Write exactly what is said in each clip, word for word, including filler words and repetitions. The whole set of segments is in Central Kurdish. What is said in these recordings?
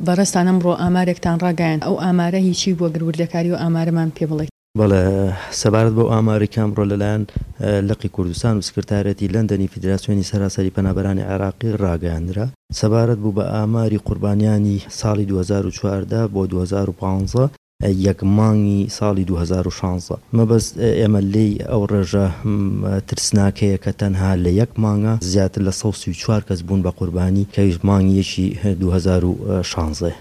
بەڕێزتان ئەمڕۆ ئامارێکتان ڕاگەیاند، ئەو ئامارە هیچی بووە؟ گەر وردەکاری و ئامارەمان پێ بڵێیت. بەڵێ، سەبارەت بەو ئامارەی کە ئەمڕۆ لەلایەن لقی کوردستان و سکرتاریەتی لەندەنی فیدراسیۆنی سەراسەری پەنابەرانی عێراقی ڕاگەیاندرا، سەبارەت بوو بە ئاماری قوربانیانی ساڵی دوو هەزار و چواردە بۆ دوو هەزار و پازدە، یەک مانگی ساڵی دوو هەزار و شازدە. مەبەست ئێمە لێی ئەو ڕێژە ترسناکەیە کە تەنها لە یەک مانگا زیاتر لە سەد و سی و چوار کەس بوون بە قوربانی، کە ئەویش مانگی یەکی دوو هەزار و شازدە.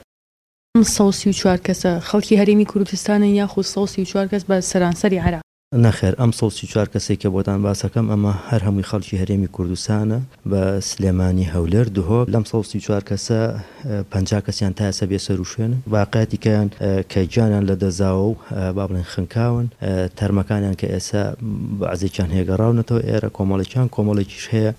ئەم سەد و سی و چوار کەسە خەڵکی هەرێمی کوردستانن یاخود سەد و سی و چوار کەس بە سەرانسەری عێراق؟ نەخێر، ئەم سەد و سی و چوار کەسەی کە بۆتان باسەکەم ئەمە هەر هەمووی خەڵکی هەرێمی کوردستانە بە سلێمانی، هەولێر، دهۆک. لەم سەد و سی و چوار کەسە پەنجا کەسیان تا ئێستا بێسەروشوێنن، باقیاتی کەیان کە گیانیان لەدەستداوە و با بڵێن خنکاون، تەرمەکانیان کە ئێستا بەعزێکیان هەیە گەڕاونەتەوە ئێرە، کۆمەڵێکیان کۆمەڵێکیش هەیە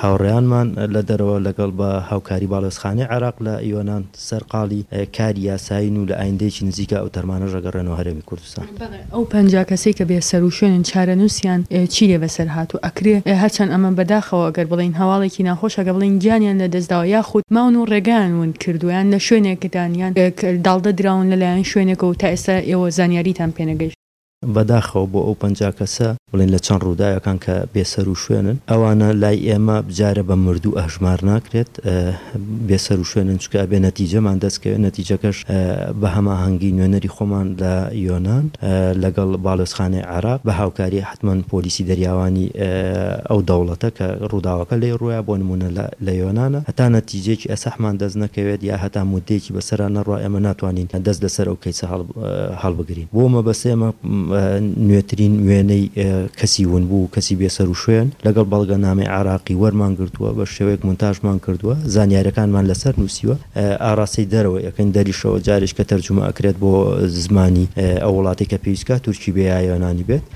هاوڕێیانمان لە دەرەوە لەگەڵ بە هاوکاری باڵیۆزخانەی عێراق لە یۆنان سەرقاڵی کاری یاسایین و لە ئایندەیەکی نزیکە ئەو تەرمانەش ئەگەڕێنەوە هەرێمی کوردستان. بەڵێ، ئەو پەنجا کەسەی کە بێسەروشوێنن چارەنووسیان چی لێ بەسەر هاتووە؟ ئەکرێ هەرچەند ئەمە بەداخەوە ئەگەر بڵێین هەواڵێکی ناخۆشە کە بڵێین گیانیان لەدەستداوە یاخود ماون و ڕێگایان ون کردووە یان لە شوێنێکدان یان داڵدە دراون لەلایەن شوێنێکەوە و تا ئێستا ئێوە زانیاریتان پێنەگەیشتووە. بەداخەوە بۆ ئەو پەنجا کەسە بڵێن لە چەند ڕووداوێکان کە بێسەروشوێنن، ئەوانە لای ئێمە بجارە بە مردوو ئەژمار ناکرێت، بێسەروشوێنن، چونکە ئەبێ نەتیجەمان دەستکەوێت، نەتیجەکەش بە هەماهەنگی نوێنەری خۆمان لە یۆنان لەگەڵ باڵیۆزخانەی عێراق بە هاوکاری حتمما پۆلیسی دەریاوانی ئەو دەوڵەتە کە ڕووداوەکە لێی ڕوویا، بۆ نمونە لە یۆنانە، هەتا نەتیجەیەکی ئەسەحمان دەست نەکەوێت یا هەتا مدەیەکی بەسەرا نەڕوا ئێمە ناتوانین دەست لەسەر ئەو کەیسە هەڵبگرین. بۆ مەبەست ئێمە نوێترین وێنەی کەسی ونبوو و کەسی بێسەروشوێن لەگەڵ بەڵگەنامەی عێراقی وەرمان گرتووە، بە شێوەیەک مونتاژمان کردووە، زانیاریەکانمان لەسەر نووسیوە، ئاراستەی دەرەوە ئەکەین، دەریشەوە جارێک کە تەرجومە ئەکرێت بۆ زمانی ئەو وڵاتی کە پێویستکە، تورکی بێ یا یۆنانی بێت،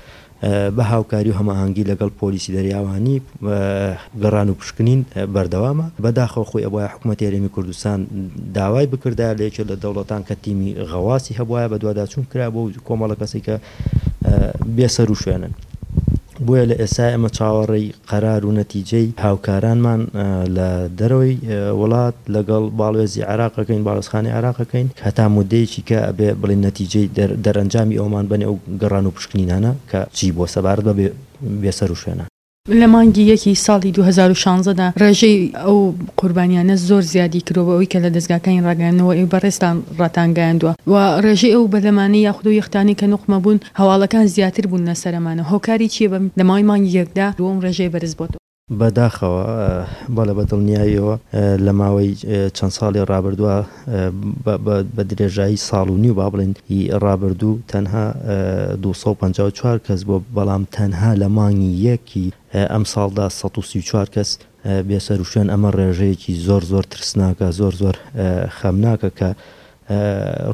بە هاوکاری و هەماهەنگی لەگەڵ پۆلیسی دەریاوانی گەڕان و پشکنین بەردەوامە. بەداخەوە خۆی ئەبوایە حکوومەتی هەرێمی کوردستان داوای بکردایە لە یەکێک لە دەوڵەتان کە تیمی غەواسی هەبوایە، بەدواداچوون کرا بۆ کۆمەڵە کەسی کە بێسەروشوێنن. بۆیە لە ئێستا ئێمە چاوەڕێی قەرار و نەتیجەی هاوکارانمان لە دەرەوەی وڵات لەگەڵ باڵوێزی عێراقەکەین، باڵیۆزخانەی عێراقەکەین، هەتا مدەیەکی کە ئەبێ بڵێن نەتیجەی دەرەنجامی ئەومان بەنێ ئەو گەڕان و پشکنینانە کە چی بووە سەبارەت بە بێسەروشوێنان. لە مانگی یەکی ساڵی دوو هەزار و شازدە دا ڕێژەی ئەو قوربانیانە زۆر زیادی کردووە بە ئەوەی کە لە دەزگاکانی ڕاگەیاندنەوە ئێوە بەڕێزتان ڕاتانگەیاندووە و ڕێژەی ئەو بەلەمانەی یاخود ئەو یەختانەی کە نوقمە بوون هەواڵەکان زیاتر بوون لەسەر ئەمانە، هۆکاری چییە بەم لە ماوەی مانگی یەکدا ئەم ڕێژەیە بەرز بۆتەوە؟ بەداخەوە بەڵێ، بە دڵنیاییەوە لە ماوەی چەند ساڵی ڕابردووە بە درێژایی ساڵ و نیو با بڵێن ڕابردوو تەنها دوو سەد و پەنجا و چوار کەس بووە، بەڵام تەنها لە مانگی یەکی ئەم ساڵدا سەد و سی و چوار کەس بێسەروشوێن. ئەمە ڕێژەیەکی زۆر زۆر ترسناکە، زۆر زۆر خەمناکە کە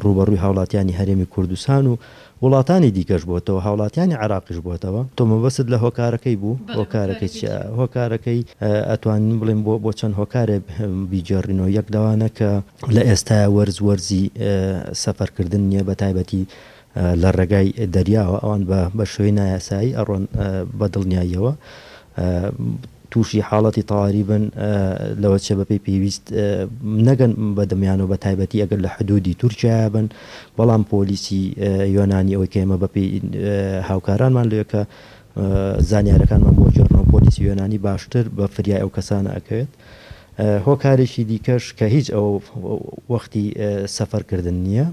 ڕووبەڕووی هاوڵاتیانی هەرێمی کوردستان و وڵاتانی دیکەش بۆتەوە، هاوڵاتیانی عێراقیش بۆتەوە. تۆ مەبەست لە هۆکارەکەی بوو؟ هۆکارەکەی چییە؟ هۆکارەکەی ئەتوانین بڵێن بۆ بۆ چەند هۆکارێک بیگێڕینەوە. یەک لەوانە کە لە ئێستایا وەرز وەرزی سەفەرکردن نییە، بە تایبەتی لە ڕێگای دەریاوە ئەوان بە بە شێوەی نایاسایی ئەڕۆن، بە دڵنیاییەوە تووشی حاڵەتی تەواری بن، لەوە چێ بەپێی پێویست نەگەن بە دەمیانەوە، بە تایبەتی ئەگەر لە حدودی تورکیا بن. بەڵام پۆلیسی یۆنانی ئەوەی کە ئێمە بەپێی هاوکارانمان لەوێ کە زانیارەکانمان بۆ گێڕنەوە، پۆلیسی یۆنانی باشتر بە فریای ئەو کەسانە ئەکەوێت. هۆکارێکی دیکەش کە هیچ ئەو وەختی سەفەرکردن نییە،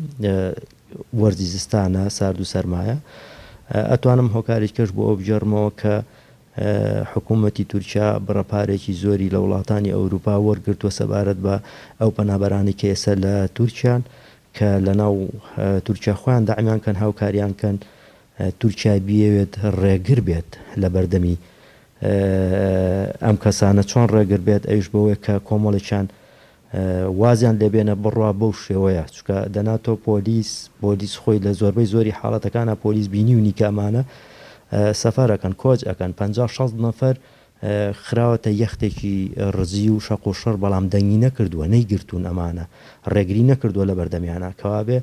وەرزی زستانە، سارد و سەرمایە. ئەتوانم هۆکارێکی کەش بۆ ئەو بگێڕمەوە کە حکوومەتی تورکیا بڕەپارێکی زۆری لە وڵاتانی ئەوروپا وەرگرتووە سەبارەت بە ئەو پەنابەرانەی کە ئێستا لە تورکیان، کە لەناو تورکیا خۆیان دەعمیان کەن، هاوکاریان کەن، تورکیا بیەوێت ڕێگر بێت لە بەردەمی ئەم کەسانە. چۆن ڕێگر بێت؟ ئەویش بەوەیە کە کۆمەڵێکیان وازیان لێبێنە بڕوا بەو شێوەیە، چونکە دەنا تۆ پۆلیس پۆلیس خۆی لە زۆربەی زۆری حاڵەتەکانە پۆلیس بینیونی کە ئەمانە سەفەرەکەن، کۆچ ئەکەن، پەنجا شەست نەفەر خراوەتە یەختێکی ڕزی و شەق و شڕ، بەڵام دەنگی نەکردووە، نەیگرتوون، ئەمانە ڕێگری نەکردووە لە بەردەمیانە. کەوابێ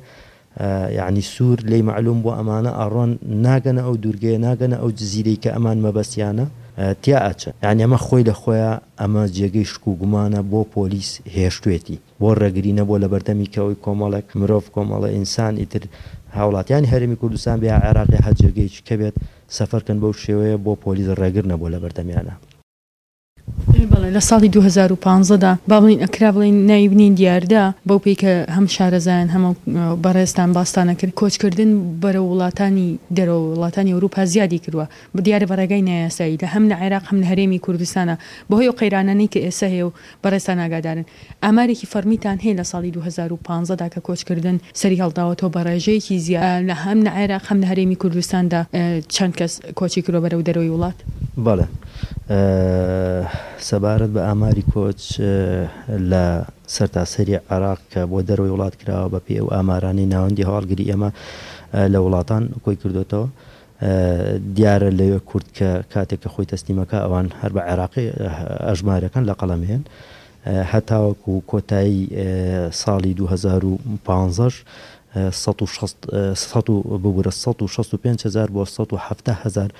یعنی سوور لێی مەعلوم بۆ ئەمانە ئەڕۆن ناگەنە ئەو دوورگەیە، ناگەنە ئەو جزیرەی کە ئەمان مەبەستیانە تیا ئەچن. یعنی ئەمە خۆی لە خۆیان ئەمە جێگەی شک و گومانە بۆ پۆلیس هێشتوێتی. بۆ ڕێگری نەبووە لە بەردەمی کە ئەوی کۆمەڵێک مرۆڤ کۆمەڵە ئینسان ئیتر هاوڵاتیانی هەرێمی کوردستان بێ یا عێراق یا هەر جێگەیەکی کە بێت سەفەرکەن بەو شێوەیە بۆ پۆلیس ڕێگر نەبووە لە بەردەمیانە. بەڵێ لە ساڵی دوو هەزار و پازدە دا با بڵێین ئەکرا بڵێین ناوی بنێین دیاردە بەو پێی کە هەم شارەزایان هەم بەڕێزتان باستان ئەکرد کۆچکردن بەرەو وڵاتانی دەرەوە وڵاتانی ئەوروپا زیادی کردوە دیارە بە ڕێگای نایاسایی لە هەم لە عێراق هەم لە هەرێمی کوردستانا بەهۆی ئەو قەیرانانەی کە ئێستا هەیە و بەڕێزتان ئاگادارن ئامارێکی فەڕمیتان هەیە لە ساڵی دوو هەزار و پازدە دا کە کۆچکردن سەری هەڵداوەتەوە بە ڕێژەیەکی زیاد لە هەم لە عێراق هەم لە هەرێمی کوردستاندا چەند کەس کۆچی کردوە بەرەو دەرەوەی وڵات؟ بەڵێ سەبارەت بە ئاماری کۆچ لە سەرتاسەری عێراق کە بۆ دەرەوەی وڵات کراوە بە پێی ئەو ئامارانەی ناوەندی هەواڵگری ئێمە لە وڵاتان کۆی کردۆتەوە دیارە لەوێ کورد کە کاتێک کە خۆی تەسلیمەکە ئەوان هەر بە عێراقی ئەژمارەکەن لە قەڵەمێن هەتاوەکو کۆتایی ساڵی دوو هەزار و پازدە سەد و شەست سەد و ببورە سەد و شەست و پێنج هەزار بۆ سەد و حەفتا هەزار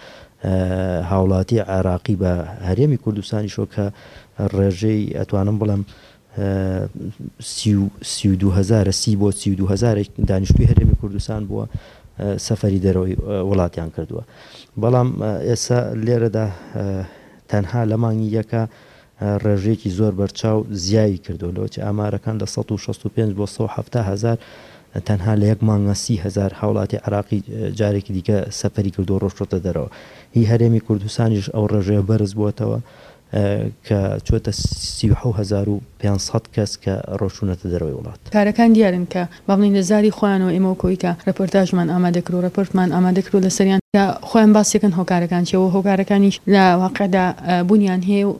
هاوڵاتی عێراقی بە هەرێمی کوردستانیشەوە کە ڕێژەی ئەتوانم بڵێم سی و سی و دوو هەزارە سی بۆ سی و دوو هەزارێک دانیشتووی هەرێمی کوردستان بووە سەفەری دەرەوەی وڵاتیان کردووە بەڵام ئێستا لێرەدا تەنها لە مانگی یەکە ڕێژەیەکی زۆر بەرچاو زیایی کردووە لەوەچ ئامارەکان لە سەد و شەست و پێنج بۆ سەد و حەفتا هەزار تەنها لە یەک مانگە سی هەزار هاوڵاتی عێراقی جارێکی دیکە سەفەری کردووە ڕۆشتۆتە دەرەوە هی هەرێمی کوردستانیش ئەو ڕێژەیە بەرز بووەتەوە کە چۆتە سی و حەوت هەزار و پێنج سەد کەس کە ڕۆشتوونەتە دەرەوەی وڵات. کارەکان دیارن کە با بڵێین لە زاری خۆیانەوە ئێمە وەکو ئەوەی کە ڕێپۆرتاژمان ئامادە کرد و ڕێپۆرتمان ئامادە کردووە لەسەریان کە خۆیان باسی ئەکەن هۆکارەکان چیە و هۆکارەکانیش لە واقعدا بوونیان هەیە و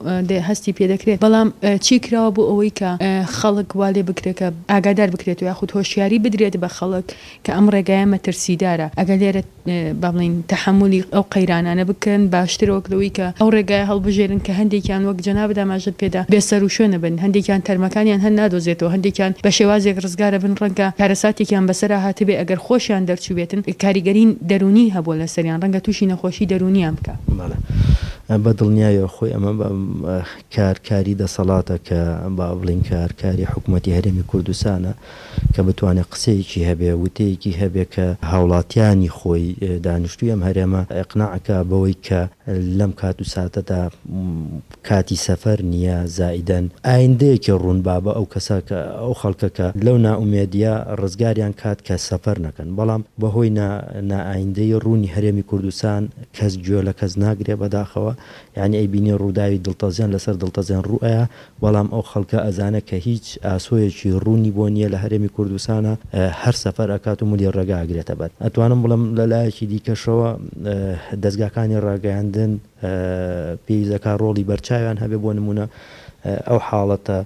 هەستی پێ دەکرێت بەڵام چی کراوە بۆ ئەوەی کە خەڵک وا لێ بکرێت کە ئاگادار بکرێت و یاخود هۆشیاری بدرێت بە خەڵک کە ئەم ڕێگایە مەترسیدارە ئەگەر لێرە با بڵێین تەحەمولی ئەو قەیرانانە بکەن باشترە وەک لەوەی کە ئەو ڕێگایە هەڵبژێرن کە هەندێکیان وەک جەنابت ئاماژەت پێدا بێسەروشوێنە بن هەندێکیان تەرمەکانیان هەر نادۆزێتەوە هەندێکیان بە شێوازێک ڕزگارە بن ڕەنگە کارەساتێکیان بەسەرا هاتبێ ئەگەر خۆشیان دەرچووبێتن کاریگەری دەروونی هەبووە لەسەریان ڕەنگە تووشی نەخۆشی دەروونیان بکا. بەڵێ بە دڵنیایەوە خۆی ئەمە کار کاری دەسەڵاتە کە با بڵێین کار کاری حکوومەتی هەرێمی کوردستانە کە بتوانێت قسەیەکی هەبێ وتەیەکی هەبێ کە هاوڵاتیانی خۆی دانیشتووی ئەم هەرێمە ئیقناع کا بەوەی کە لەم کات و ساتەدا کاتی سەفەر نییە زائیدەن ئایندەیەکی ڕوون با بە ئەو کەسە کە ئەو خەڵکە کە لەو نائومێدیە ڕزگاریان کات کە سەفەر نەکەن بەڵام بەهۆی نا نائایندەی ڕوونی هەرێمی کوردستان کەس گوێ لە کەس ناگرێ بەداخەوە یانی ئەیبینی ڕووداوی دڵتەزێن لەسەر دڵتەزێن ڕووئەیا بەڵام ئەو خەڵکە ئەزانێ کە هیچ ئاسۆیەکی ڕوونی بۆ نییە لە هەرێمی کوردستانا هەر سەفەر ئەکات و ملی ڕێگا ئەگرێتە بەر ئەتوانم بڵێم لە لایەکی دیکەشەوە دەزگاکانی ڕاگەیاندن پێویست ئەکا ڕۆڵی بەرچاویان هەبێ بۆ نمونە ئەو حاڵەتە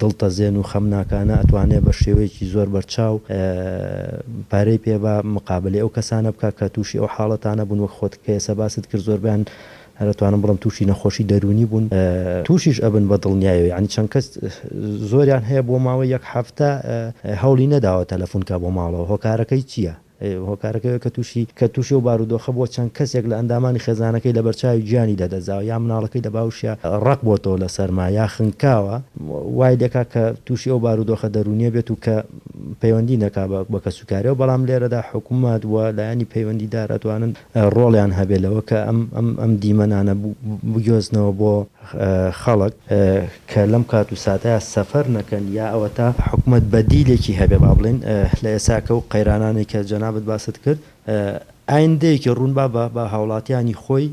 دڵتەزێن و خەمناکانە ئەتوانێ بە شێوەیەکی زۆر بەرچاو پارەی پێ با مقابلەی ئەو کەسانە بکا کە تووشی ئەو حاڵەتانە بوون وەک خۆت کە ئێستا باست کرد زۆربەیان هەر ئەتوانم بڵێم تووشی نەخۆشی دەروونی بوون تووشیش ئەبن بە دڵنیایەوە یانی چەند کەس زۆریان هەیە بۆ ماوەی یەک هەفتە هەوڵی نەداوە تەلەفون کا بۆ ماڵەوە هۆکارەکەی چییە؟ هۆکارەکەی کە تووشی کە تووشی ئەو بارودۆخە بووە چەند کەسێک لە ئەندامانی خێزانەکەی لەبەرچاوی گیانی لەدەستداوە یا مناڵەکەی لە باوشیا ڕەق بۆتەوە لە سەرما یا خنکاوە وای لێکا کە تووشی ئەو بارودۆخە دەروونیە بێت و کە پەیوەندی نەکا بە کەسوکاریەوە بەڵام لێرەدا حکوومەت و لایەنی پەیوەندیدار ئەتوانن ڕۆڵیان هەبێت لەوە کە ئەم ئەم ئەم دیمەنانە بگوێزنەوە بۆ خەڵک کە لەم کات و ساتەیا سەفەر نەکەن یا ئەوەتا حکومەت بەدیلێکی هەبێ با بڵێین لە ئێساکە و قەیرانانەی کە جەنابت باست کرد ئایندەیەکی ڕوون با بە هاوڵاتیانی خۆی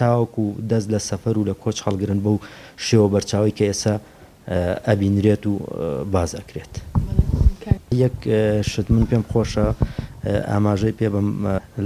تاوەکو دەست لە سەفەر و لە کۆچ هەڵگرن بەو شێوە بەرچاوەی کە ئێستا ئەبینرێت و باس ئەکرێت. یەک شت من پێم خۆشە ئاماژەی پێ بەم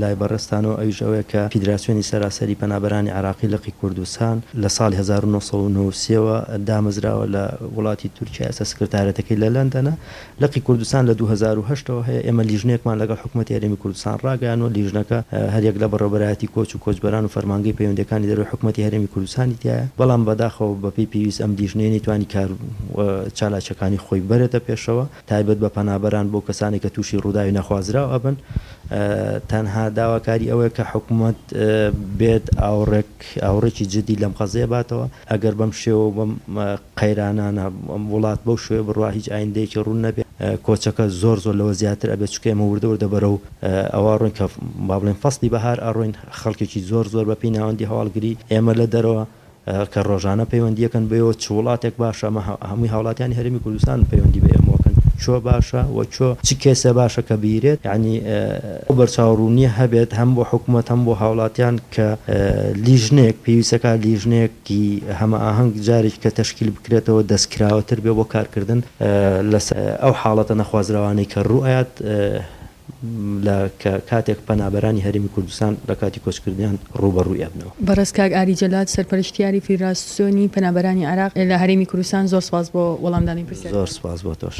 لای بەڕێزتانەوە ئەویش ئەوەیە کە فیدراسیۆنی سەراسەری پەنابەرانی عێراقی لقی کوردستان لە ساڵی هەزار و نۆ سەد و نەوەد و سێ وە دامەزراوە لە وڵاتی تورکیا ئێستا سکرتارێتەکەی لە لەندەنە لقی کوردستان لە دوو هەزار و هەشت ەوە هەیە ئێمە لیژنەیەکمان لەگەڵ حکومەتی هەرێمی کوردستان ڕاگەیانوە لیژنەکە هەریەک لە بەڕێوەبەرایەتی کۆچ و کۆچبەران و فەرمانگەی پەیوەندیەکانی دەرەوەی حکومەتی هەرێمی کوردستانی تیایە بەڵام بەداخەوە بەپێی پێویست ئەم لیژنەیە نەیتوانی کار و چالاکیەکانی خۆی بەرێتە پێشەوە تایبەت بە پەنابەران بۆ کەسانێک کە تووشی ڕووداوی نەخوازراو ئەبن. بن. تەنها داواکاری ئەوەیە کە حکوومەت بێت ئاوڕێک ئاوڕێکی جدی لەم قەزیە باتەوە. ئەگەر بەم شێوە و بەم قەیرانانە وڵات بەو شێوە بڕوا هیچ ئایندەیەکی ڕوون نەبێت، کۆچەکە زۆر زۆر لەوە زیاتر ئەبێت، چونکە ئێمە وردە وردە بەرەو ئەوە ڕۆین کە با بڵێن فەسلی بەهار ئەڕۆین، خەڵکێکی زۆر زۆر بەپێی ناوەندی هەواڵگری ئێمە لە دەرەوە کە ڕۆژانە پەیوەندیەکەن بەوە چ وڵاتێک باشە، ئەمە هەمووی هاوڵاتیانی هەرێمی کوردستان پەیوەندی بە ئێمەوەکەن، چۆ باشە و چۆ چ کێسە باشە کە بیرێت، یعنی ئەو بەرچاوڕوونیە هەبێت هەم بۆ حکوومەت هەم بۆ هاوڵاتیان کە لیژنەیەک پێویستەکە لیژنەیەکی هەمە ئاهەنگ جارێک کە تەشکیل بکرێتەوە دەستکراوەتر بێ بۆ کارکردن لەسەر ئەو حاڵەتە نەخوازراوانەی کە ڕوئەیات لە کاتێک پەنابەرانی هەرێمی کوردستان لە کاتی کۆچکردنیان ڕووبەڕووی ئەبنەوە. بەڕێز کاک ئاری جەلاد سەرپەرشتیاری فیدراسیۆنی پەنابەرانی عێراق لە هەرێمی کوردستان، زۆر سپاس بۆ وەڵامدانی پرسیارەکان. زۆر سپاس بۆ تۆش.